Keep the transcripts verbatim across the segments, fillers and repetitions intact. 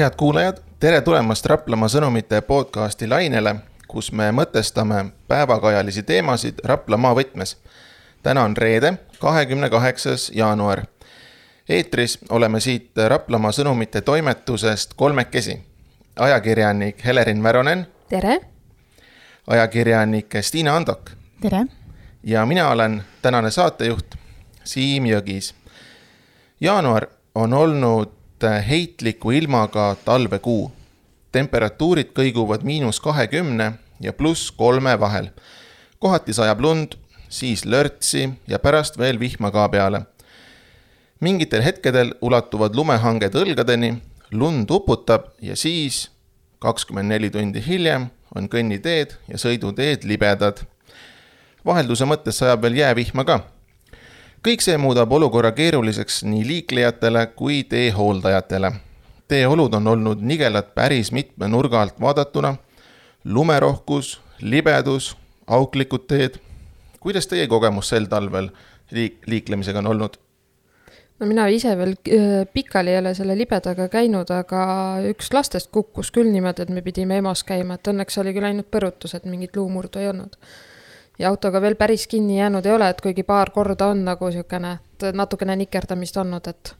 Head kuulajad, tere tulemast Raplamaa sõnumite podcasti lainele, kus me mõtestame päevakajalisi teemasid Raplamaa võtmes. Täna on reede, kahekümne kaheksas jaanuar. Eetris oleme siit Raplamaa sõnumite toimetusest kolmekesi. Ajakirjanik Helerin Väronen. Tere. Ajakirjanik Stiina Andok. Tere. Ja mina olen tänane saatejuht Siim Jõgis. Jaanuar on olnud heitliku ilmaga talvekuu. Temperatuurid kõiguvad miinus kahekümne ja pluss kolme vahel. Kohati sajab lund, siis lörtsi ja pärast veel vihma ka peale. Mingitel hetkedel ulatuvad lumehanged õlgadeni, lund uputab ja siis kakskümmend neli tundi hiljem on kõnniteed ja sõiduteed libedad. Vahelduse mõttes sajab veel jäävihma ka. Kõik see muudab olukorra keeruliseks nii liiklejatele kui teehooldajatele. Teeolud on olnud nigelad päris mitme nurga alt vaadatuna. Lumerohkus, libedus, auklikud teed. Kuidas teie kogemus sel talvel liik- liiklemisega on olnud? No mina ise veel pikali ei ole selle libedaga käinud, aga üks lastest kukkus küll niimoodi, et me pidime EMOs käima, et õnneks oli küll ainult põrutus, et mingit luumurdu ei olnud. Ja autoga veel päris kinni jäänud ei ole, et kuigi paar korda on nagu siukene, natukene nikerdamist olnud, et,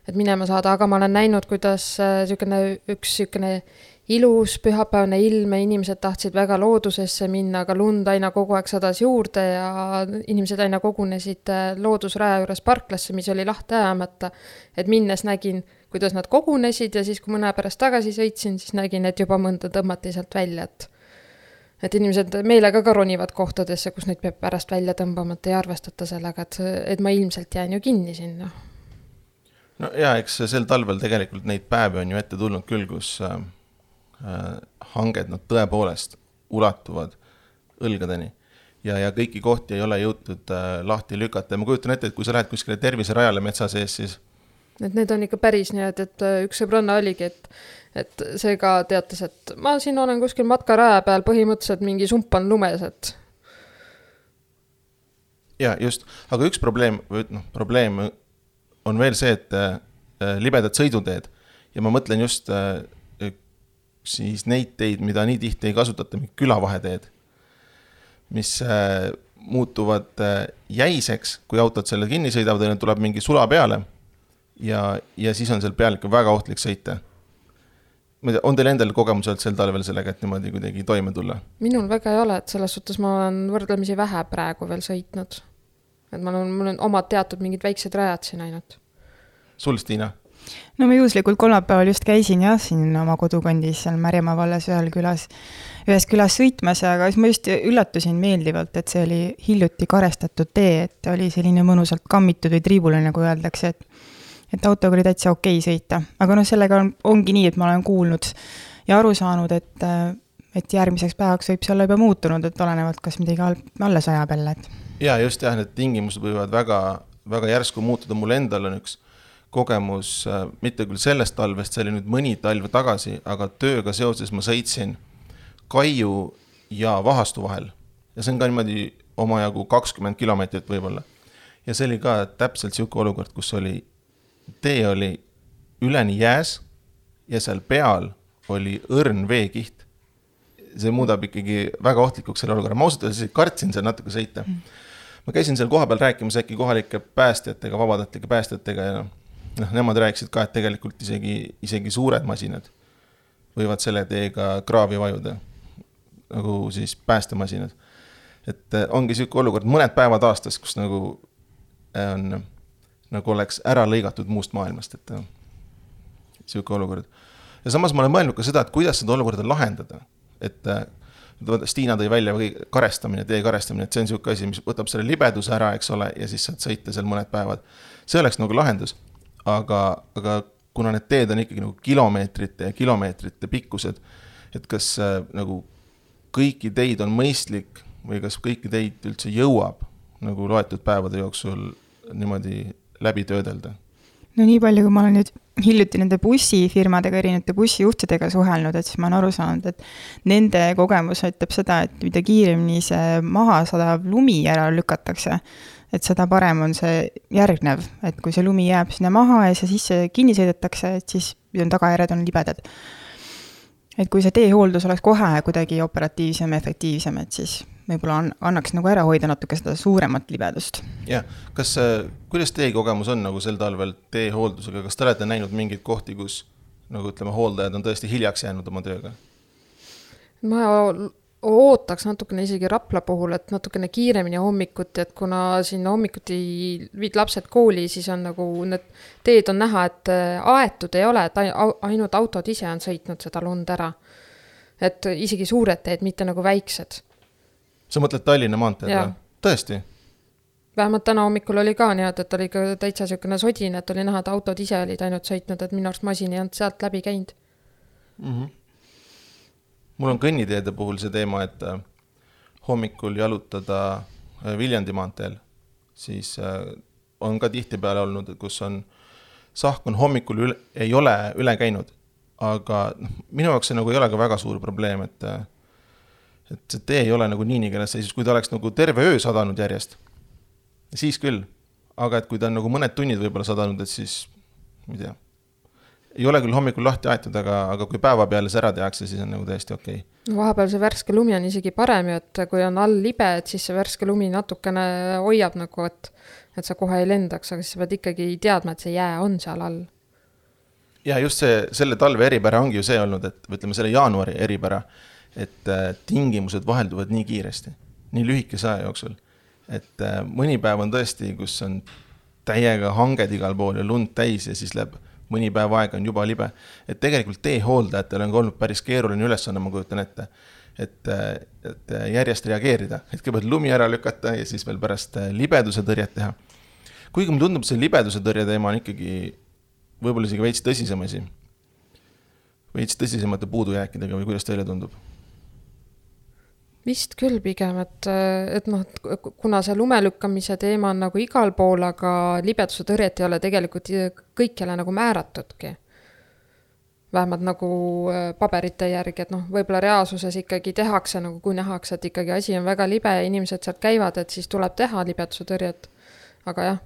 et minema saada, aga ma olen näinud, kuidas siukene, üks siukene ilus pühapäevne ilm ja inimesed tahtsid väga loodusesse minna, aga lund aina kogu aeg sadas juurde ja inimesed aina kogunesid loodusraja juures parklasse, mis oli lahti ajamata, et minnes nägin, kuidas nad kogunesid ja siis kui mõne pärast tagasi sõitsin, siis nägin, et juba mõnda tõmmati sealt välja, et et inimesed meelega ka ronivad kohtadesse, kus neid peab pärast välja tõmbama, et ei arvestata sellega, et, et ma ilmselt jään ju kinni sinna. No ja, eks sel talvel tegelikult neid päevi on ju ette tulnud küll, kus äh, hanged nad tõepoolest ulatuvad õlgadeni ja, ja kõiki kohti ei ole jõutud äh, lahti lükata. Ma kujutan ette, et kui sa lähed kuskile terviserajale metsa sees, siis et need on ikka päris nii, et, et üks sõbranna oligi, et, et see ka teatas, et ma siin olen kuskil matkaraja peal põhimõtteliselt mingi sump on lumes, et ja just, aga üks probleem, no, probleem on veel see, et äh, libedad sõiduteed ja ma mõtlen just äh, siis neid teid, mida nii tihti ei kasutata, külavaheteed, mis äh, muutuvad äh, jäiseks, kui autod selle kinni sõidavad ja tuleb mingi sula peale ja, ja siis on seal peal ikka väga ohtlik sõita. On teil endal kogemused sel talvel sellega, et niimoodi kuidagi toime tulla? Minul väga ei ole, et selles suhtes ma olen võrdlemisi vähe praegu veel sõitnud. Et ma olen, mul on omad teatud mingid väiksed rajad siin ainult. Sul, Stiina? No ma juhuslikult kolmapäeval just käisin jah, siin oma kodukondis seal Märjamaa vallas ühel külas, ühes külas sõitmas, aga siis ma just üllatusin meeldivalt, et see oli hiljuti karestatud tee, et oli selline mõnusalt kammitud või triibule, nagu öeldakse, et et autoga oli täitsa okei sõita. Aga no sellega on, ongi nii, et ma olen kuulnud ja aru saanud, et, et järgmiseks päevaks võib see olla juba muutunud, et olenevalt kas midagi alla sajab jälle. Et... Ja just jah, need tingimused võivad väga, väga järsku muutuda. Mul endal on üks kogemus, mitte küll sellest talvest, see oli nüüd mõni talve tagasi, aga tööga seoses ma sõitsin Kaiu ja Vahastu vahel. Ja see on ka niimoodi omajagu kakskümmend kilomeetrit võib-olla. Ja see oli ka täpselt siuke olukord, kus oli tee oli üleni jääs ja seal peal oli õrn veekiht. See muudab ikkagi väga ohtlikuks selle olukorra. Ma ausalt öeldes kartsin seal natuke sõita. Ma käisin seal kohapeal rääkimas äkki kohalike päästjatega, vabatahtlike päästjatega ja noh, nemad rääkisid ka, et tegelikult isegi, isegi suured masinad võivad selle teega kraavi vajuda, nagu siis päästemasinad. Et ongi siuke olukord mõned päevad aastas, kus nagu on nagu oleks ära lõigatud muust maailmast, et siuke olukord. Ja samas ma olen mõelnud ka seda, et kuidas seda olukorda lahendada. Et Stiina tõi välja karestamine, tee karestamine, et see on siuke asi, mis võtab selle libeduse ära, eks ole, ja siis saad sõita seal mõned päevad. See oleks nagu lahendus, aga, aga kuna need teed on ikkagi nagu kilomeetrite ja kilomeetrite pikkused, et kas nagu kõiki teid on mõistlik või kas kõiki teid üldse jõuab nagu loetud päevade jooksul niimoodi läbi töödelda? No nii palju, kui ma olen nüüd hiljuti nende bussifirmadega, erinevate bussijuhtidega suhelnud, et siis ma olen aru saanud, et nende kogemus ütleb seda, et mida kiiremini see maha sadav lumi ära lükatakse, et seda parem on see järgnev, et kui see lumi jääb sinna maha ja see sisse kinni sõidetakse, et siis ja tagajärjed on libedad. Et kui see teehooldus oleks kohe kuidagi operatiivsem, efektiivsem, et siis võib-olla an, annaks nagu ära hoida natuke seda suuremat libedust. Jah, kas, kuidas teie kogemus on nagu sel talvel teehooldusega, kas te olete näinud mingeid kohti, kus nagu ütleme, hooldajad on tõesti hiljaks jäänud oma tööga? Ma ootaks natukene isegi Rapla puhul, et natukene kiiremini hommikuti, et kuna siin hommikuti viid lapsed kooli, siis on nagu need teed on näha, et aetud ei ole, et ainult autod ise on sõitnud seda lund ära. Et isegi suured teed, mitte nagu väiksed. Sa mõtled Tallinna maanteed või? Tõesti? Vähemalt täna hommikul oli ka nii, et oli ka täitsa siukene sodin, et oli näha, et autod ise olid ainult sõitnud, et minu arust masin ei olnud sealt läbi käinud. Mhm. Mul on kõnniteede puhul see teema, et hommikul jalutada Viljandi maanteel, siis on ka tihti peale olnud, kus on sahk on hommikul üle, ei ole üle käinud, aga minu jaoks see nagu ei ole ka väga suur probleem, et, et see tee ei ole nagu nii nii keles, kui ta oleks nagu terve öö sadanud järjest, siis küll, aga et kui ta on nagu mõned tunnid võib-olla sadanud, et siis, ma ei tea, ei ole küll hommikul lahti aetud, aga, aga kui päeva peale see ära tehakse, siis on nagu täiesti okei. Okay. Vahepeal see värske lumi on isegi parem, et kui on all libe, et siis see värske lumi natukene hoiab nagu, et, et sa kohe ei lendaks, aga siis sa pead ikkagi teadma, et see jää on seal all. Ja just see, selle talve eripära ongi ju see olnud, et ütleme selle jaanuari eripära, et tingimused vahelduvad nii kiiresti, nii lühikese aja jooksul. Et mõni päev on tõesti, kus on täiega hanged igal pool ja lund täis ja siis läheb mõni päev aega on juba libe. Et tegelikult teehooldajatel on olnud päris keeruline ülesanne, ma kujutan ette, et, et järjest reageerida. Et kõigepealt lumi ära lükata ja siis veel pärast libeduse tõrjet teha. Kuigi mulle tundub, see libeduse tõrje teema on ikkagi võib-olla isegi veits tõsisem asi. Veits tõsisemate puudujääkidega või kuidas teile tundub? Vist küll pigem, et, et noh, kuna see lumelükkamise teema on nagu igal pool, aga libeduse tõrjet ei ole tegelikult kõikjale nagu määratudki. Vähemalt nagu paberite järgi, et noh, võib-olla reaalsuses ikkagi tehakse, nagu kui nähakse, et ikkagi asi on väga libe ja inimesed sealt käivad, et siis tuleb teha libeduse tõrjet. Aga jah,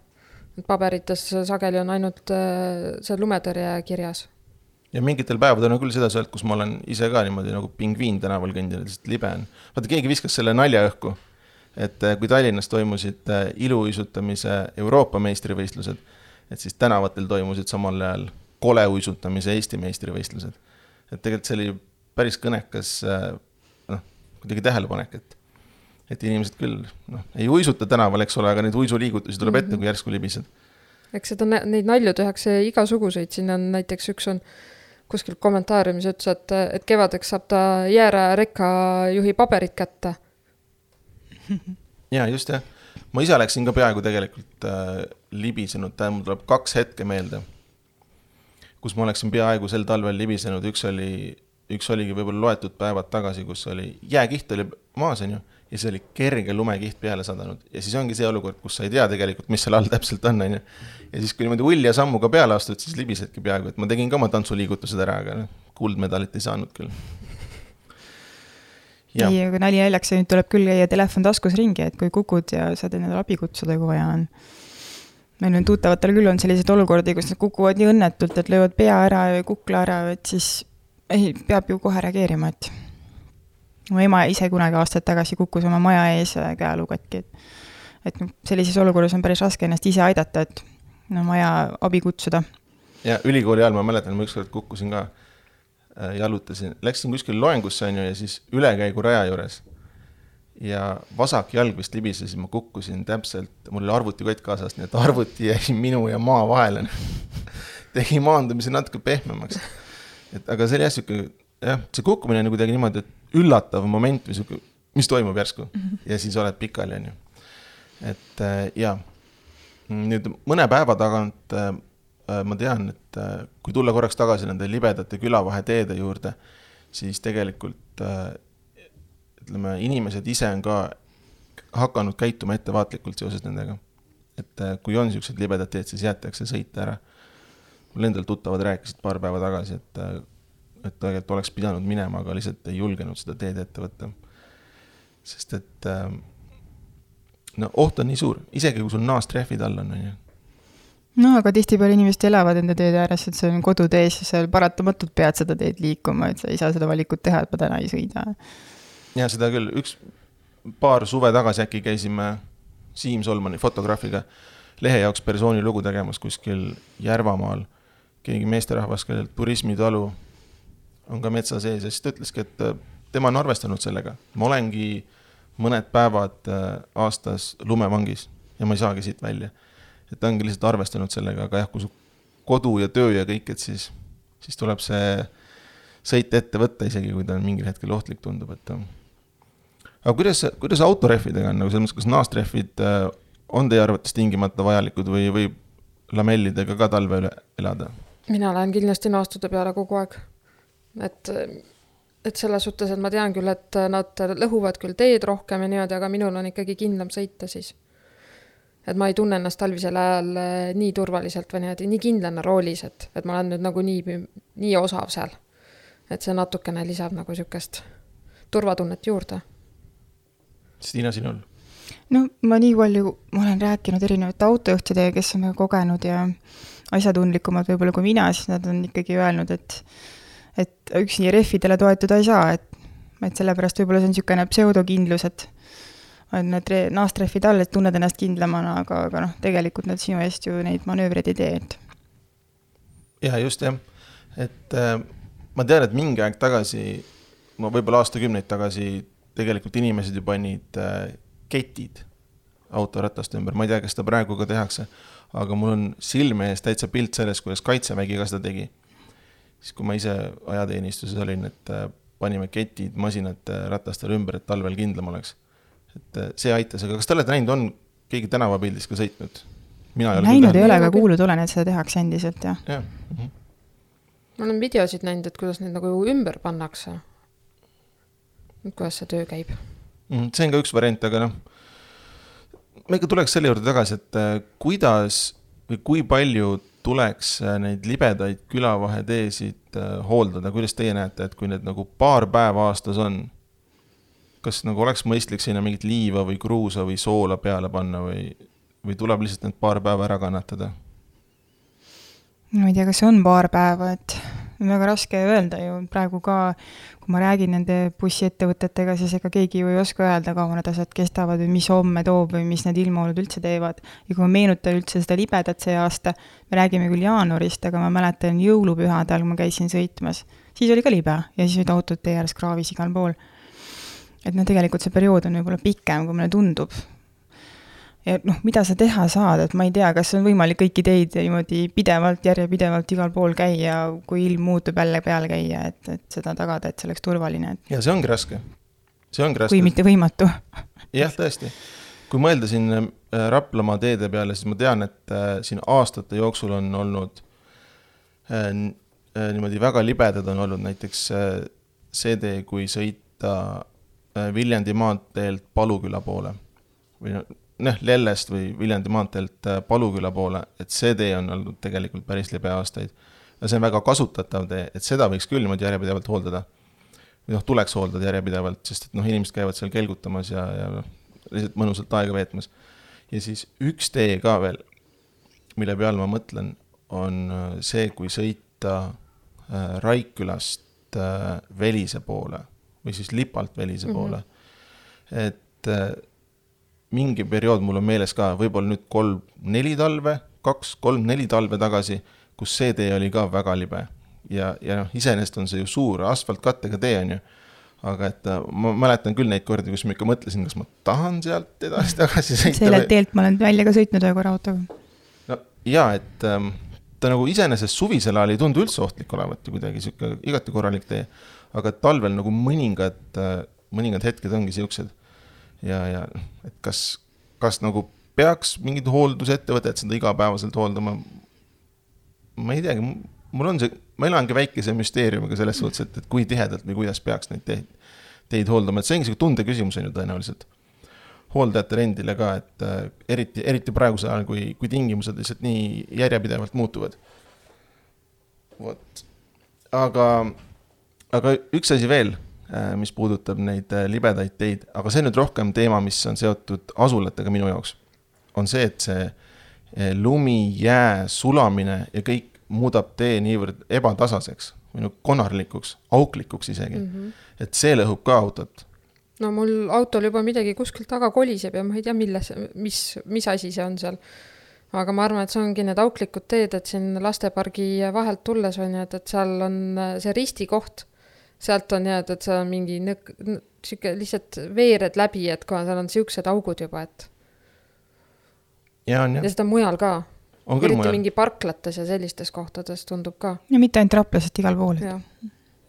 paberites sageli on ainult see lumetõrje kirjas. Ja mingitel päevadel on küll seda sealt, kus ma olen ise ka niimoodi nagu pingviin tänaval kõndil, lihtsalt libe on. Vaata, keegi viskas selle nalja õhku, et kui Tallinnas toimusid iluuisutamise Euroopa meistrivõistlused, et siis tänavatel toimusid samal ajal koleuisutamise Eesti meistrivõistlused. Et tegelikult see oli päris kõnekas noh, kuidagi tähelepanek, et, et inimesed küll noh, ei uisuta tänaval, eks ole, aga neid uisuliigutusi tuleb ette, kui järsku libised. Eks seda neid nalju tehakse igasuguseid, siin on näiteks üks on kuskil kommentaariumis ütles, et, et kevadeks saab ta jäära rekka juhi paberit kätte. Ja just jah. Ma ise läksin ka peaaegu tegelikult äh, libisenud, mul tuleb kaks hetke meelde, kus ma oleksin peaaegu sel talvel libisenud. Üks, oli, üks oligi võib-olla loetud päevad tagasi, kus oli jääkiht oli maas, on ju, ja see oli kerge lumekiht peale sadanud. Ja siis ongi see olukord, kus sa ei tea tegelikult, mis seal all täpselt on, on ju. Ja siis kui niimoodi ulja sammuga peale astud, siis libisedki peaaegu, et ma tegin ka oma tantsuliigutused ära, aga kuldmedalit ei saanud küll. Ja. Ei, aga nali jäljaks, nüüd tuleb küll ja telefon taskus ringi, et kui kukud ja saad endale abi kutsuda, kui vaja on. Meil on tuttavatel küll on sellised olukordi, kus nad kukuvad nii õnnetult, et löövad pea ära ja kukla ära, et siis ei, peab ju kohe reageerima, et mu ema ise kunagi aastad tagasi kukkus oma maja ees käelu katki, et, et sellises olukorras on päris raske ennast ise aidata, et no maja abi kutsuda. Ja ülikooli ajal ma mäletan, ma ükskord kukkusin ka, jalutasin, läksin kuskil loengusse on ju, ja siis ülekäigu raja juures ja vasak jalg vist libises, ma kukkusin täpselt, mul oli arvutikott kaasas, nii et arvuti jäi minu ja maa vahele. Tegi maandumise natuke pehmemaks. Et, aga see oli jässuke, jah, see kukkumine on kuidagi niimoodi, et üllatav moment, mis, mis toimub järsku ja siis oled pikali, on ju. Et ja, nüüd mõne päeva tagant ma tean, et kui tulla korraks tagasi nende libedate külavahe teede juurde, siis tegelikult ütleme, inimesed ise on ka hakanud käituma ettevaatlikult seoses nendega. Et kui on sellised libedad teed, siis jäetakse sõita ära. Mul endal tuttavad rääkisid paar päeva tagasi, et et tegelikult oleks pidanud minema, aga lihtsalt ei julgenud seda teed ette võtta. Sest et no, oht on nii suur, isegi kui sul naastrehvid all on. on ju. no aga tihtipeale inimesed elavad enda teede ääres, et see on kodutees ja seal paratamatult pead seda teed liikuma, et sa ei saa seda valikut teha, et ma täna ei sõida. Ja seda küll, üks paar suve tagasi äkki käisime Siim Solmani fotograafiga lehe jaoks persooni lugu tegemas kuskil Järvamaal. Keegi meesterahvas, kellel turismitalu on ka metsa sees ja siis ta ütleski, et tema on arvestanud sellega. Ma olengi mõned päevad aastas lumevangis ja ma ei saagi siit välja. Et ta ongi lihtsalt arvestanud sellega, aga jah, kui su kodu ja töö ja kõik, et siis, siis tuleb see sõit ette võtta isegi, kui ta on mingil hetkel ohtlik tundub. Et... aga kuidas, kuidas autorehvidega on, nagu selles mõttes, kas naastrehvid on teie arvates tingimata vajalikud või, või lamellidega ka talve üle elada? Mina lähen kindlasti naastude peale kogu aeg. Et, et selles suhtes, et ma tean küll, et nad lõhuvad küll teed rohkem ja niimoodi, aga minul on ikkagi kindlam sõita siis. Et ma ei tunne ennast talvisel ajal nii turvaliselt või niimoodi, nii kindlana roolis, et, et ma olen nüüd nagu nii, nii osav seal. Et see natukene lisab nagu sükest turvatunnet juurde. Stiina, sinul? No ma nii palju, ma olen rääkinud erinevate autojuhtidega, kes on kogenud ja asjatundlikumad võib-olla kui mina, siis nad on ikkagi öelnud, et, et üksi rehvidele toetuda ei saa, et, et sellepärast võib-olla see on niisugune pseudokindlus, et on need naastrehvid all, et tunned ennast kindlamana, aga, aga noh, tegelikult nad sinu eest ju neid manöövreid ei tee. Et... ja just jah, et äh, ma tean, et mingi aeg tagasi, ma võib-olla aastakümneid tagasi, tegelikult inimesed ju panid äh, ketid autoratast ümber. Ma ei tea, kas seda praegu ka tehakse, aga mul on silme ees täitsa pilt selles, kuidas Kaitsevägi ka seda tegi. Siis kui ma ise ajateenistuses olin, et äh, panime ketid masinate ratastele ümber, et talvel kindlam oleks. Et see aitas, aga kas te olete näinud, on keegi tänavapildis ka sõitnud? Mina ei ole näinud ei ole, aga kuulud olen, et seda tehakse endiselt, jah. Ja. Mm-hmm. Ma olen videosid näinud, et kuidas neid nagu ümber pannakse. Kuidas see töö käib? Mm, see on ka üks variant, aga noh, me ikka tuleks selle juurde tagasi, et kuidas või kui palju tuleks neid libedaid külavaheteesid hooldada, kuidas teie näete, et kui need nagu paar päeva aastas on, kas nagu oleks mõistlik sinna mingit liiva või kruusa või soola peale panna või, või tuleb lihtsalt need paar päeva ära kannatada? No ei tea, kas see on paar päeva, et on väga raske öelda ju praegu ka, kui ma räägin nende bussiettevõtetega, siis ega keegi ju ei oska öelda, kaua need asjad kestavad või mis homme toob või mis need ilmaolud üldse teevad. Ja kui ma meenutan üldse seda libedat see aasta, me räägime küll jaanuarist, aga ma mäletan jõulupühadel, kui ma käisin sõitmas, siis oli ka libe ja siis olid autod tee ääres kraavis igal pool. Et no tegelikult see periood on võib-olla pikem, kui meile tundub. Ja noh, mida sa teha saad, et ma ei tea, kas on võimalik kõiki teid niimoodi pidevalt, järjepidevalt igal pool käia, kui ilm muutub jälle peale käia, et, et seda tagada, et see oleks turvaline. Et... ja see ongi raske. See ongi raske. Kui mitte võimatu. Jah, tõesti. Kui mõelda siin Raplamaa teede peale, siis ma tean, et siin aastate jooksul on olnud niimoodi väga libedad on olnud näiteks see tee, kui sõita Viljandi maanteelt Paluküla poole või noh, Lellest või Viljandi maanteelt Paluküla poole, et see tee on olnud tegelikult päris libe aastaid. Ja see on väga kasutatav tee, et seda võiks küll niimoodi järjepidevalt hooldada. Või noh, tuleks hooldada järjepidevalt, sest et noh, inimesed käivad seal kelgutamas ja, ja lihtsalt mõnusalt aega veetmas. Ja siis üks tee ka veel, mille peal ma mõtlen, on see, kui sõita Raikkülast Velise poole või siis Lipalt Velise poole. Mm-hmm. Et äh, mingi periood mul on meeles ka, võib-olla nüüd kolm, neli talve, kaks, kolm, neli talve tagasi, kus see tee oli ka väga libe. Ja, ja noh, iseenesest on see ju suur asfaltkattega tee on ju. Aga et äh, ma mäletan küll neid kordi, kus ma ikka mõtlesin, kas ma tahan sealt edasi tagasi sõita. Selle teelt ma olen välja ka sõitnud ühe korra autoga. No jaa, et ähm, ta nagu iseenesest suvisel ajal ei tundu üldse ohtlik olevat kuidagi siuke igati korralik tee. Aga talvel nagu mõningad, mõningad hetked ongi siuksed. Ja, ja et kas, kas nagu peaks mingid hooldusettevõtted seda igapäevaselt hooldama? Ma ei teagi, mul on see, ma elangi väikese müsteeriumiga selles suhtes, et, et kui tihedalt või kuidas peaks neid teid, teid hooldama. Et see ongi tunde küsimus on ju tõenäoliselt. Hooldajate rendile ka, et äh, eriti, eriti praeguse ajal, kui, kui tingimused lihtsalt nii järjepidevalt muutuvad. Vot. Aga... Aga üks asi veel, mis puudutab neid libedaid teid, aga see nüüd rohkem teema, mis on seotud asulatega minu jaoks, on see, et see lumi, jää, sulamine ja kõik muudab tee niivõrd ebatasaseks või no konarlikuks, auklikuks isegi. Mm-hmm. Et see lõhub ka autot. No mul autol juba midagi kuskilt taga koliseb ja ma ei tea, milles, mis, mis asi see on seal. Aga ma arvan, et see ongi need auklikud teed, et siin lastepargi vahelt tulles on, et, et seal on see ristikoht. Sealt on jääd, et seal on mingi nõk, siuke lihtsalt veered läbi, et kui seal on siuksed augud juba, et ja, on, ja. ja seda mujal ka. On küll Eriti mujal. Mingi parklates ja sellistes kohtades tundub ka. Ja mitte ainult Raplasest igal pool. Ja,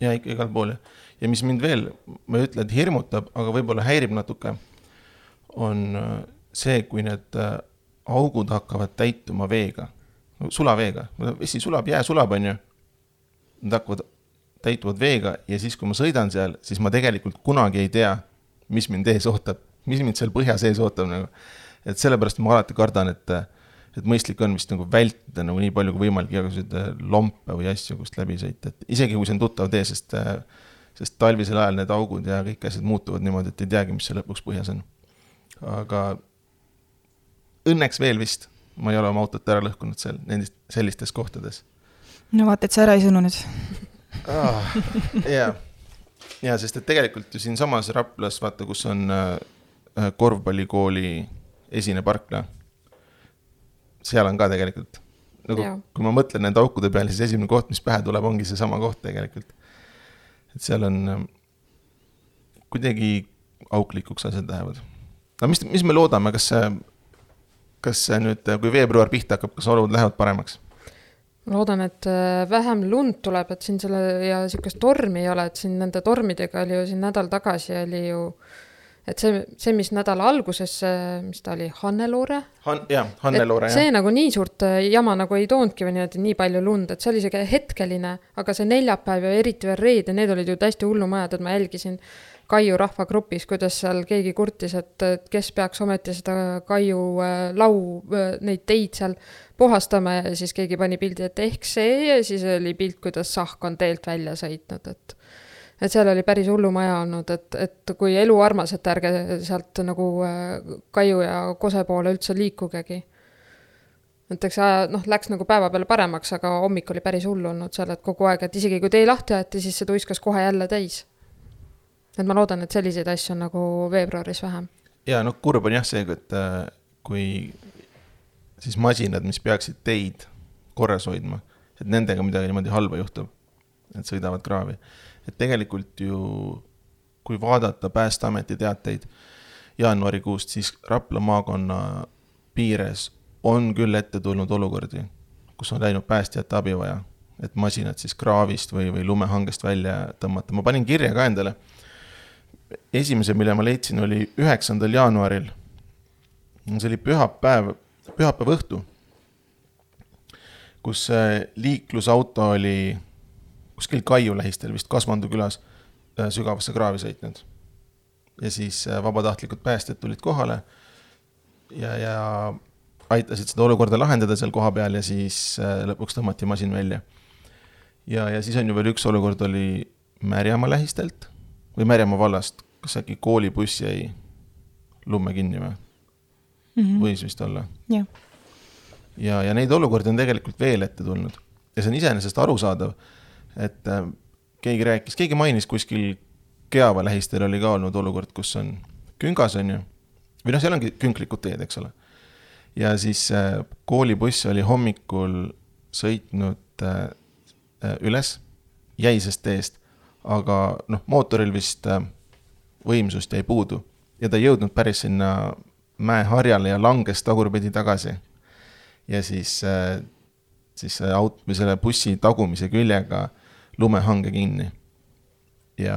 ja ikka igal pool. Ja mis mind veel, ma ei ütle, et hirmutab, aga võib-olla häirib natuke, on see, kui need augud hakkavad täituma veega, sulaveega. Vesi sulab, jää sulab, on ju. Nad hakkavad täituvad veega ja siis, kui ma sõidan seal, siis ma tegelikult kunagi ei tea, mis mind ees ootab, mis mind seal põhja sees ootab. Nagu. Et sellepärast ma alati kardan, et, et mõistlik on vist nagu vältida nagu nii palju kui võimalik igasuguseid lompe või asju, kust läbi sõita. Et isegi kui see on tuttav tee, sest, sest talvisel ajal need augud ja kõik asjad muutuvad niimoodi, et ei teagi, mis see lõpuks põhjas on. Aga õnneks veel vist ma ei ole oma autot ära lõhkunud seal, nendest, sellistes kohtades. No vaata, et sa ära ei sõnunud. Ah, jaa. Ja, sest et tegelikult ju siin samas Raplas, vaata, kus on äh, korvpallikooli esine parkla, seal on ka tegelikult. Nagu, kui ma mõtlen nende aukude peale, siis esimene koht, mis pähe tuleb, ongi see sama koht tegelikult. Et seal on äh, kuidagi auklikuks asjad lähevad. No mis, mis me loodame, kas see, kas see nüüd, kui veebruar pihta hakkab, kas olud lähevad paremaks? Loodan, et vähem lund tuleb, et siin selle ja siukest tormi ei ole, et siin nende tormidega oli ju siin nädal tagasi oli ju, et see, see mis nädala alguses, mis ta oli, Hanneloore? Han, jah, Hanneloore, jah. See nagu nii suurt jama nagu ei toondki või nii, et nii palju lund, et see oli see hetkeline, aga see neljapäev ja eriti veel reed ja need olid ju täiesti hullumajad, et ma jälgisin Kaiu rahvagrupis, kuidas seal keegi kurtis, et kes peaks ometi seda Kaiu lau, neid teid seal puhastama ja siis keegi pani pildi, et ehk see ja siis oli pilt, kuidas sahk on teelt välja sõitnud, et, et seal oli päris hullumaja olnud, et, et kui elu armas, et ärge sealt nagu Kaiu ja Kose poole üldse liikugegi. Et eks noh, läks nagu päeva peale paremaks, aga hommik oli päris hullu olnud seal, et kogu aeg, et isegi kui tee lahti jäeti, siis see tuiskas kohe jälle täis. Et ma loodan, et selliseid asju on nagu veebruaris vähem. Ja no kurb on jah see, et kui siis masinad, mis peaksid teid korras hoidma, et nendega midagi niimoodi halba juhtub, et sõidavad kraavi. Et tegelikult ju, kui vaadata Päästeameti teateid jaanuarikuust, siis Rapla maakonna piires on küll ette tulnud olukordi, kus on läinud päästjate abi vaja, et masinad siis kraavist või, või lumehangest välja tõmmata. Ma panin kirja ka endale. Esimese, mille ma leidsin, oli üheksandal jaanuaril. See oli pühapäev, pühapäev õhtu, kus liiklusauto oli kuskil Kaiu lähistel, vist Kasvandu külas, sügavasse kraavi sõitnud. Ja siis vabatahtlikud päästjad tulid kohale ja, ja aitasid seda olukorda lahendada seal koha peal ja siis lõpuks tõmmati masin välja. Ja, ja siis on ju veel üks olukord oli Märjamaa lähistelt või Märjamaa vallast, kas äkki koolibuss jäi lumme kinni või? Mm-hmm. Võis vist olla. Ja. Ja, ja neid olukordi on tegelikult veel ette tulnud. Ja see on iseenesest arusaadav, et äh, keegi rääkis, keegi mainis kuskil Keava lähistel oli ka olnud olukord, kus on küngas on ju, või noh, seal ongi künklikud teed, eks ole. Ja siis äh, koolibuss oli hommikul sõitnud äh, üles jäisest teest, aga noh, mootoril vist võimsust jäi puudu ja ta ei jõudnud päris sinna mäeharjale ja langes tagurpidi tagasi. Ja siis, siis aut, või selle bussi tagumise küljega lumehange kinni. Ja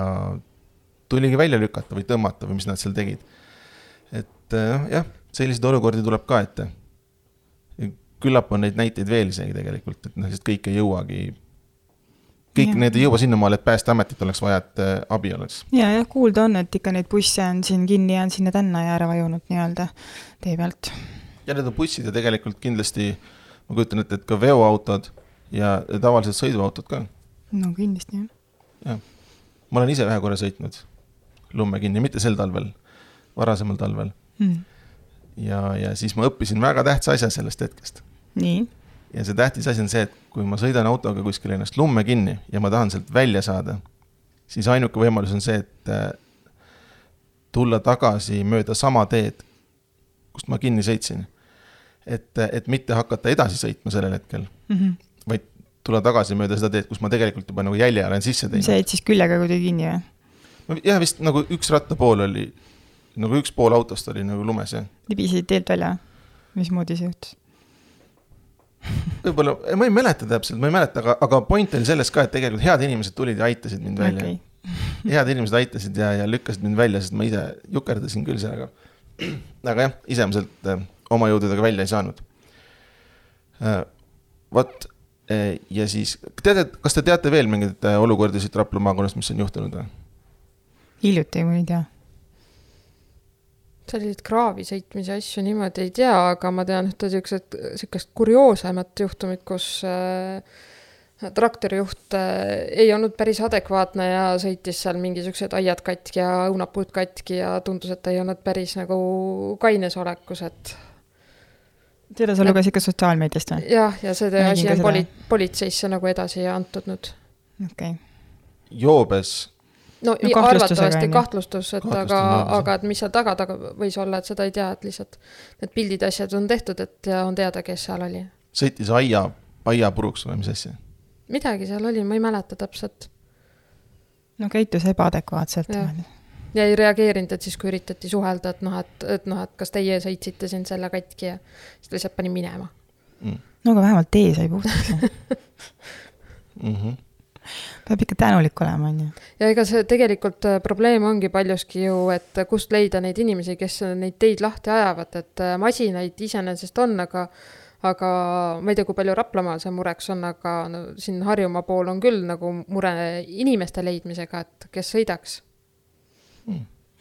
tuligi välja lükata või tõmmata või mis nad seal tegid. Et jah, sellised olukordi tuleb ka ette. Küllap on neid näiteid veel isegi tegelikult, et noh, sest kõik ei jõuagi kõik ja. Need ei jõua sinna maal, et Päästeametit oleks vaja, et abi oleks. Ja, ja kuulda on, et ikka neid busse on siin kinni ja on sinna tänna ja ära vajunud nii-öelda tee pealt. Ja need on bussid ja tegelikult kindlasti, ma kujutan, et, et ka veoautod ja tavalised sõiduautod ka. No kindlasti, jah. Ja. Ma olen ise ühe korra sõitnud lumme kinni, mitte sel talvel, varasemal talvel. Mm. ja, ja siis ma õppisin väga tähtsa asja sellest hetkest. Nii. Ja see tähtis asi on see, et kui ma sõidan autoga kuskil ennast lumme kinni ja ma tahan sealt välja saada, siis ainuke võimalus on see, et tulla tagasi mööda sama teed, kust ma kinni sõitsin. Et, et mitte hakata edasi sõitma sellel hetkel, mm-hmm. vaid tulla tagasi mööda seda teed, kus ma tegelikult juba nagu jälje olen sisse teinud. See jäid siis küllega kuidagi kinni või? Jah, vist nagu üks rattapool oli, nagu üks pool autost oli nagu lumes. Libisid teelt välja? Mismoodi see juhtus? Võib-olla, ma ei mäleta täpselt, ma ei mäleta, aga, aga point oli selles ka, et tegelikult head inimesed tulid ja aitasid mind välja. Okay. Head inimesed aitasid ja, ja lükkasid mind välja, sest ma ise jukerdasin küll sellega. Aga jah, isemuselt oma jõududega välja ei saanud. Vot, ja siis, teate, kas te teate veel mingid olukordi siit Rapla maakonnast, mis on juhtunud? Hiljuti, kui ei tea. Sellised kraavi sõitmise asju niimoodi ei tea, aga ma tean ühte sükest kurioosemat juhtumit, kus äh, traktorijuht äh, ei olnud päris adekvaatne ja sõitis seal mingisugused aiad katki ja õunapuud katki ja tundus, et ta ei olnud päris nagu kaines olekus, et Seda sa luges ikka sotsiaalmeediast või? Jah, ja see asi on poli- politseisse nagu edasi antud nüüd. Okay. Joobes No, no arvatavasti kahtlustus, et aga, aga et mis seal taga, taga võis olla, et seda ei tea, et lihtsalt need pildid asjad on tehtud, et on teada, kes seal oli. Sõitis aia, aia puruks või mis asja? Midagi seal oli, ma ei mäleta täpselt. No käitus ebaadekvaatselt. Ja. ja ei reageerinud, et siis kui üritati suhelda, et, noh, et, et, noh, et kas teie sõitsite siin selle katki ja siis lihtsalt pani minema. Mm. No aga vähemalt tee sai puhtaks. Mhm. Peab ikka tänulik olema. Ja ega see tegelikult probleem ongi paljuski ju, et kust leida neid inimesi, kes neid teid lahti ajavad, et masinaid iseenesest on, aga, aga ma ei tea, kui palju Raplamaal see mureks on, aga no, siin Harjumaa pool on küll nagu mure inimeste leidmisega, et kes sõidaks.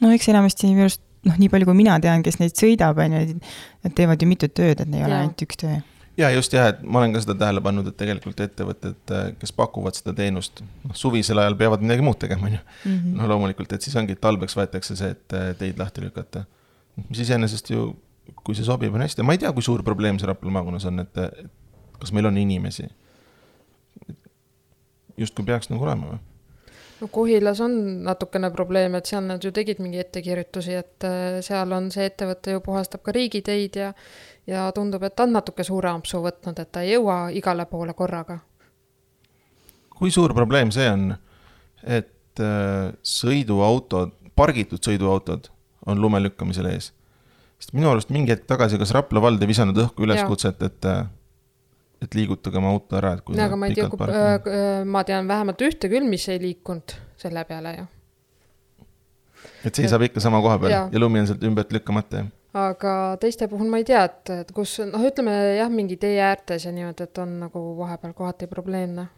No eks enamasti just, noh, nii palju kui mina tean, kes neid sõidab, nad teevad ju mitu tööd, et ne ei ole ainult üks töö. Ja just jah, et ma olen ka seda tähele pannud, et tegelikult ettevõtted, kes pakuvad seda teenust, noh, suvisel ajal peavad midagi muud tegema. Mm-hmm. No loomulikult, et siis ongi talveks võetakse see, et teid lahti lükata. Mis iseenesest ju, kui see sobib, on hästi. Ma ei tea, kui suur probleem see Rapla maakonnas on, et, et kas meil on inimesi. Just kui peaks nagu olema või? No Kohilas on natukene probleem, et seal nad ju tegid mingi ettekirjutusi, et seal on see ettevõte ju puhastab ka riigiteid ja, ja tundub, et on natuke suure ampsu võtnud, et ta ei jõua igale poole korraga. Kui suur probleem see on, et sõiduautod, pargitud sõiduautod on lume lükkamisel ees? Sest minu arust mingi hetk tagasi, kas Rapla vald ei visanud õhku üleskutset, et et liigutage oma auto ära, et kui ja, aga ma, ei tea, kui, äh, ma tean vähemalt ühte küll, mis ei liikunud selle peale ju. Et see saab ikka sama koha peal ja, ja lumi on sealt ümbert lükkamata. Aga teiste puhul ma ei tea, et, et kus, noh ütleme jah, mingi tee äärtes ja niimoodi, et on nagu vahepeal kohati probleemne.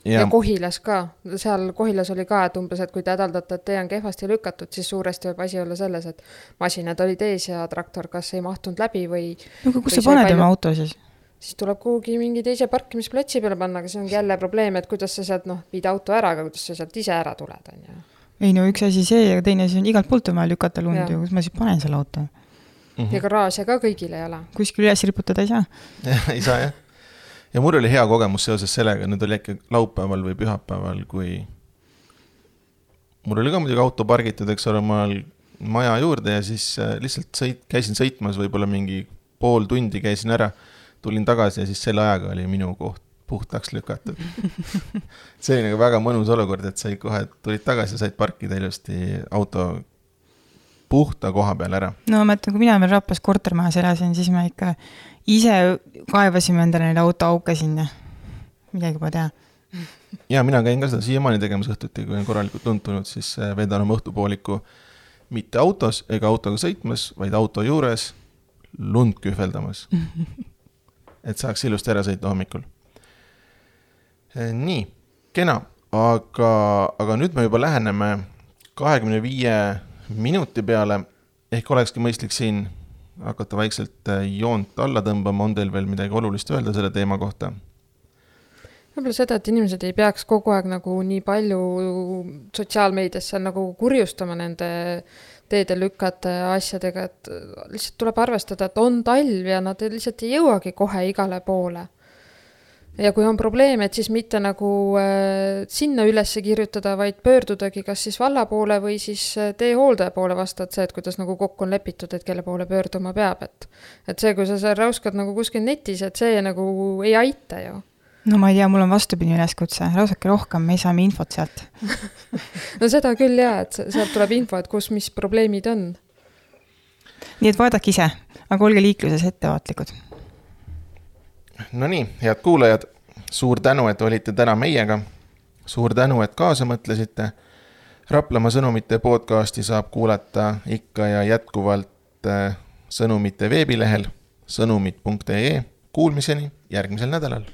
Ja. ja Kohilas ka, seal Kohilas oli ka, et umbes, et kui te hädaldate, et tee on kehvasti lükatud, siis suuresti võib asi olla selles, et masinad olid ees ja traktor kas ei mahtunud läbi või... No, kus sa paned oma auto siis? Siis tuleb kuhugi mingi teise parkimisplatsi peale panna, aga see on jälle probleem, et kuidas sa sealt, noh, viid auto ära, aga kuidas sa sealt ise ära tuled, on ju. Ei, no üks asi see, ja teine asi on igalt poolt on vaja lükata lund, ja kus ma siis panen selle auto. Mm-hmm. Ja garaažia ka kõigile ei ole. Kuskil üles riputada ei saa? ei saa, jah. Ja mul oli hea kogemus seoses sellega, nüüd oli äkki laupäeval või pühapäeval, kui mul oli ka muidugi auto pargitud, eks ole, maal maja juurde ja siis lihtsalt sõit, käisin sõitmas võib-olla mingi pool tundi käisin ära, tulin tagasi ja siis selle ajaga oli minu koht puhtaks lükatud. See oli nagu väga mõnus olukord, et sai kohe tulid tagasi ja said parkida ilusti auto puhta koha peal ära. No ma mõtlen, kui mina meil Raplas kortermajas elasin, siis ma ikka ise kaevasime endale neile auto auke sinna. Midagi juba tea. Ja mina käin ka seda siiamaani tegemas õhtuti, kui on korralikult tuntunud, siis vedan oma õhtupooliku mitte autos ega autoga sõitmas, vaid auto juures lund kühveldamas. Et saaks ilusti ära sõita hommikul. Nii, kena, aga, aga nüüd me juba läheneme kahekümne viie minuti peale, ehk olekski mõistlik siin hakata vaikselt joont alla tõmbama, on teil veel midagi olulist öelda selle teema kohta? Võib-olla seda, et inimesed ei peaks kogu aeg nagu nii palju sotsiaalmeediasse nagu kurjustama nende teedelükkade asjadega, et lihtsalt tuleb arvestada, et on talv ja nad lihtsalt ei jõuagi kohe igale poole. Ja kui on probleem, et siis mitte nagu äh, sinna üles kirjutada, vaid pöördudagi kas siis valla poole või siis teehooldaja poole vastavalt see, et kuidas nagu kokku on lepitud, et kelle poole pöörduma peab. Et, et see, kui sa seal rauskad nagu kuskil netis, et see nagu ei aita ju. No ma ei tea, mul on vastupidi üleskutse, rausake rohkem, me ei saame infot sealt. No seda küll jah, et sealt tuleb info, et kus mis probleemid on. Nii et vaadake ise, aga olge liikluses ettevaatlikud. No nii, head kuulajad, suur tänu, et olite täna meiega. Suur tänu, et kaasa mõtlesite. Raplamaa sõnumite podcasti saab kuulata ikka ja jätkuvalt sõnumite veebilehel sõnumid punkt ee. Kuulmiseni järgmisel nädalal.